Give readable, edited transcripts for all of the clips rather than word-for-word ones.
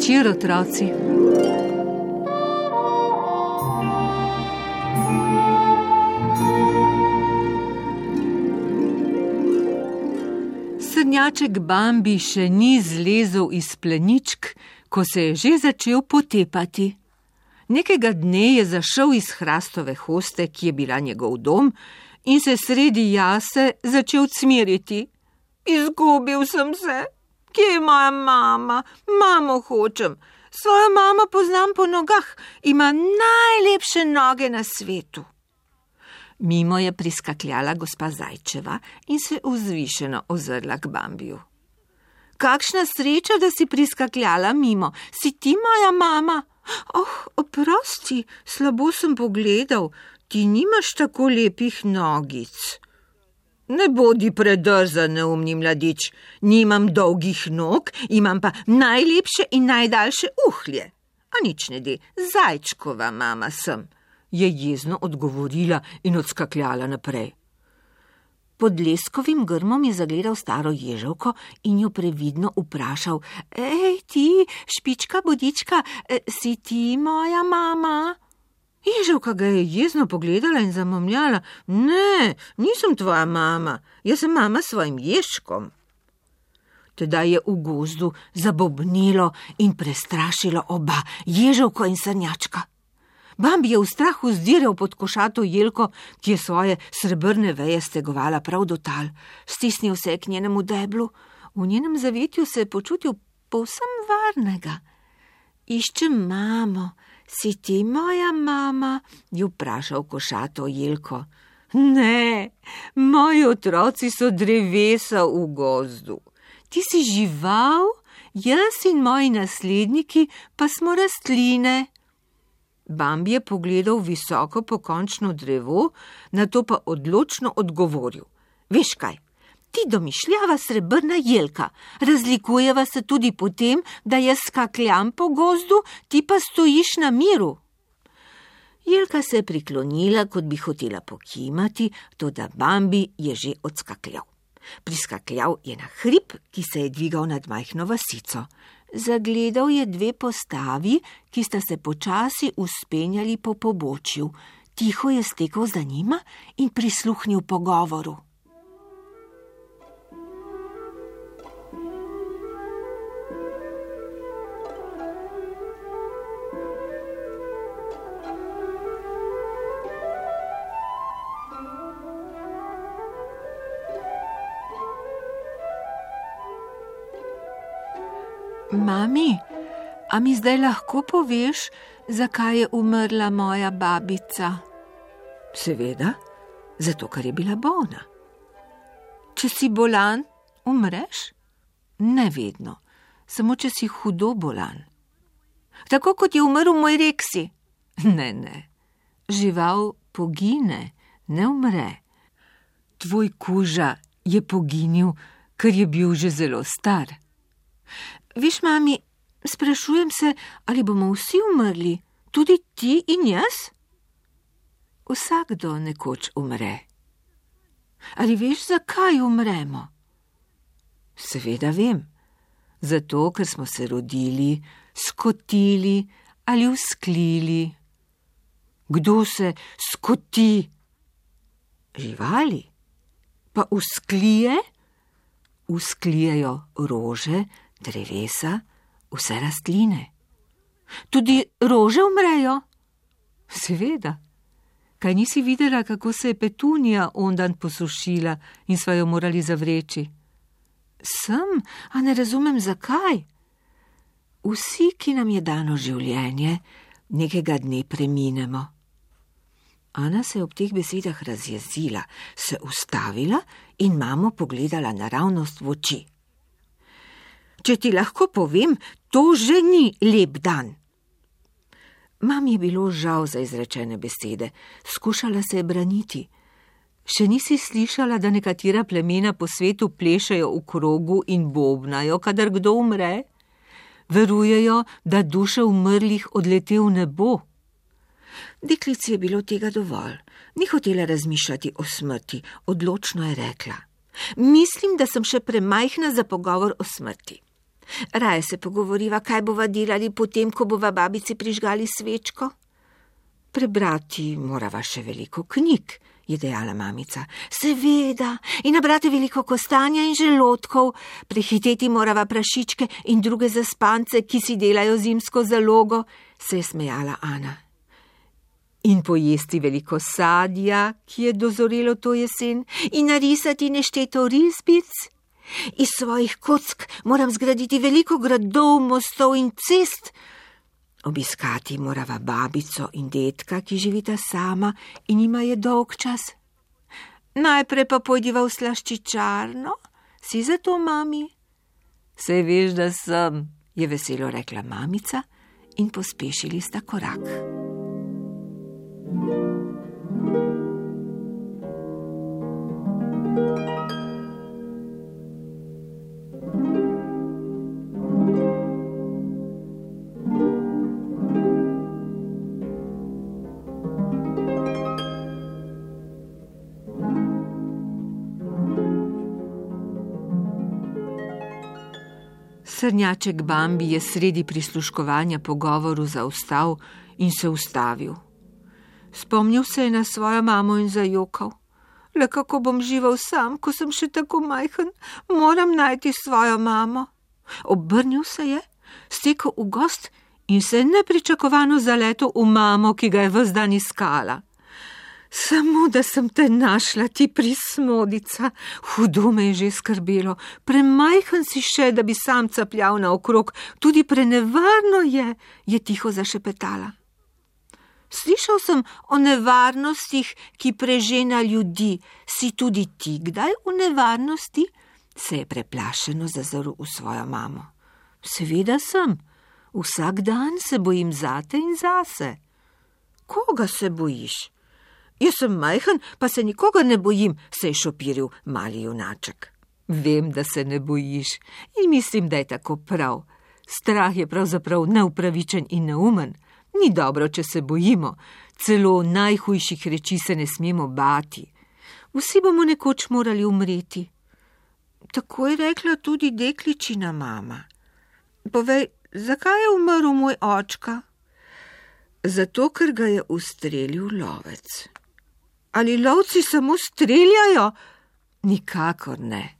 večer, otroci. Srnjaček Bambi še ni zlezel iz pleničk, ko se je že začel potepati. Nekega dne je zašel iz hrastove hoste, ki je bila njegov dom, in se sredi jase začel cmeriti. Izgubil sem se. Kje je moja mama? Mamo hočem. Svojo mamo poznam po nogah. Ima najlepše noge na svetu. Mimo je priskakljala gospa Zajčeva in se vzvišeno ozrla k Bambiju. Kakšna sreča, da si priskakljala mimo. Si ti moja mama? Oprosti, slabo sem pogledal. Ti nimaš tako lepih nogic. Ne bodi predrzan, neumni mladič. Nimam dolgih nog, imam pa najlepše in najdaljše uhlje. A nič ne de, Zajčkova mama sem, je jezno odgovorila in odskakljala naprej. Pod leskovim grmom je zagledal staro ježevko in jo previdno vprašal: Ej, ti, špička bodička, si ti moja mama? Ježevka ga je jezno pogledala in zamomljala: Ne, nisem tvoja mama, jaz sem mama svojim ježkom. Tedaj je v gozdu zabobnilo in prestrašilo oba, ježevko in srnjačka. Bambi je v strahu zdiral pod košato jelko, ki je svoje srebrne veje stegovala prav do tal. Stisnil se je k njenemu deblu, v njenem zavetju se je počutil povsem varnega. Iščem mamo, si ti moja mama? Je vprašal košato jelko. Ne, moji otroci so drevesa v gozdu. Ti si žival, jaz in moji nasledniki pa smo rastline. Bambi je pogledal visoko pokončno drevo, nato pa odločno odgovoril: Veš kaj, ti domišljava srebrna jelka, razlikujeva se tudi po tem, da jaz skakljam po gozdu, ti pa stojiš na miru. Jelka se je priklonila, kot bi hotela pokimati, toda Bambi je že odskakljal. Priskakljal je na hrib, ki se je dvigal nad majhno vasico. Zagledal je dve postavi, ki sta se počasi vzpenjali po pobočju. Tiho je stekel za njima in prisluhnil pogovoru. Mami, a mi zdaj lahko poveš, zakaj je umrla moja babica? Seveda, zato, ker je bila bolna. Če si bolan, umreš? Ne vedno, samo če si hudo bolan. Tako kot je umrl moj Reksi. Ne, žival pogine, ne umre. Tvoj kuža je poginil, ker je bil že zelo star. Viš, mami, sprašujem se, ali bomo vsi umrli, tudi ti in jaz? Vsakdo nekoč umre. Ali veš, zakaj umremo? Seveda vem. Zato, ker smo se rodili, skotili ali usklili. Kdo se skoti? Živali. Pa usklije? Usklijejo rože, drevesa, vse rastline. Tudi rože umrejo? Seveda. Kaj nisi videla, kako se je petunija ondan posušila in sva jo morali zavreči? Sem, a ne razumem zakaj. Vsi, ki nam je dano življenje, nekega dne preminemo. Ana se je ob teh besedah razjezila, se ustavila in mamo pogledala naravnost v oči. Če ti lahko povem, to že ni lep dan. Mami je bilo žal za izrečene besede, skušala se je braniti. Še nisi slišala, da nekatera plemena po svetu plešejo v krogu in bobnajo, kadar kdo umre? Verujejo, da duše umrlih odlete v nebo. Deklici je bilo tega dovolj. Ni hotela razmišljati o smrti, odločno je rekla: Mislim, da sem še premajhna za pogovor o smrti. Raje se pogovoriva, kaj bova delali potem, ko bova babici prižgali svečko. Prebrati morava še veliko knjig, je dejala mamica. Seveda, in nabrati veliko kostanja in želodkov, prehiteti morava prašičke in druge zaspance, ki si delajo zimsko zalogo, se je smejala Ana. In pojesti veliko sadja, ki je dozorelo to jesen, in narisati nešteto risbic. Iz svojih kock moram zgraditi veliko gradov, mostov in cest. Obiskati morava babico in dedka, ki živita sama in ima je dolg čas. Najprej pa pojdiva v slaščičarno. Si za to, mami? Saj veš, da sem, je veselo rekla mamica in pospešili sta korak. Srnjaček Bambi je sredi prisluškovanja pogovoru zaostal in se ustavil. Spomnil se je na svojo mamo in zajokal. Le kako bom živel sam, ko sem še tako majhen, moram najti svojo mamo. Obrnil se je, stekel v gost in se nepričakovano zaletel v mamo, ki ga je ves dan iskala. Samo da sem te našla, ti prismodica, hudo me je že skrbelo, premajhen si še, da bi sam capljal naokrog, tudi prenevarno je tiho zašepetala. Slišal sem o nevarnostih, ki prežena ljudi. Si tudi ti kdaj v nevarnosti? Se je preplašeno zazrl v svojo mamo. Seveda sem. Vsak dan se bojim zate in zase. Koga se bojiš? Jaz sem majhen, pa se nikoga ne bojim, se je šopiril mali junaček. Vem, da se ne bojiš in mislim, da je tako prav. Strah je pravzaprav neupravičen in neumen. Ni dobro, če se bojimo. Celo najhujših reči se ne smemo bati. Vsi bomo nekoč morali umreti. Tako je rekla tudi dekličina mama. Povej, zakaj je umrl moj očka? Zato, ker ga je ustrelil lovec. Ali lovci samo streljajo? Nikakor ne.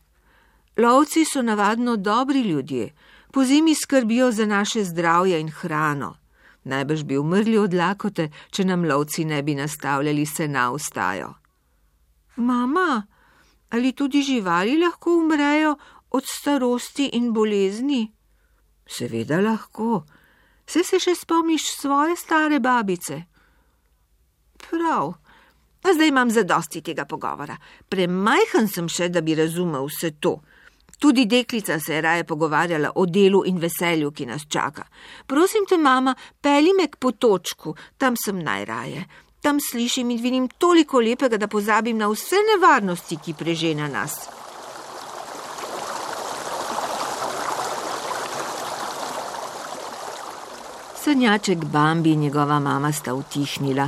Lovci so navadno dobri ljudje. Pozimi skrbijo za naše zdravje in hrano. Najbrž bi umrli od lakote, če nam lovci ne bi nastavljali sena v stajo. Mama, ali tudi živali lahko umrejo od starosti in bolezni? Seveda lahko. Se še spomniš svoje stare babice? Prav. A zdaj imam zadosti tega pogovora. Premajhen sem še, da bi razumel vse to. Tudi deklica se je raje pogovarjala o delu in veselju, ki nas čaka. Prosim te, mama, pelji me k potočku, tam sem najraje. Tam slišim in vidim toliko lepega, da pozabim na vse nevarnosti, ki prežena nas. Srnjaček Bambi in njegova mama sta utihnila.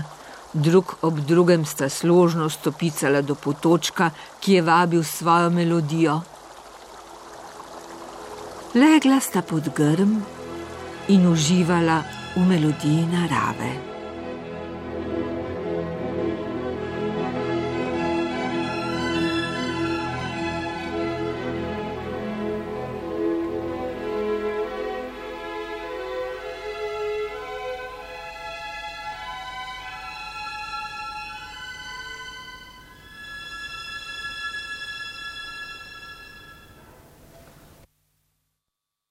Drug ob drugem sta složno stopicala do potočka, ki je vabil svojo melodijo. Legla sta pod grm in uživala v melodiji narave.